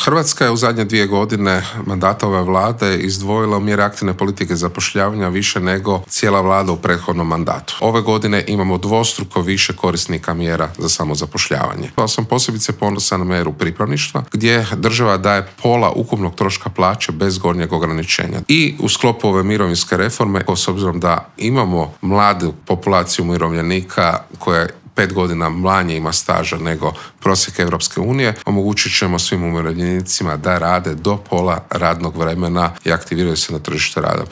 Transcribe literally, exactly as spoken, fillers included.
Hrvatska je u zadnje dvije godine mandata ove vlade izdvojila u mjere aktivne politike zapošljavanja više nego cijela vlada u prethodnom mandatu. Ove godine imamo dvostruko više korisnika mjera za samozapošljavanje. Ja sam posebice ponosan na mjeru pripravništva, gdje država daje pola ukupnog troška plaće bez gornjeg ograničenja. I u sklopu ove mirovinske reforme, s obzirom da imamo mladu populaciju umirovljenika koja je pet godina manje ima staža nego prosjek Europske unije, omogućit ćemo svim umirovljenicima da rade do pola radnog vremena i aktiviraju se na tržište rada.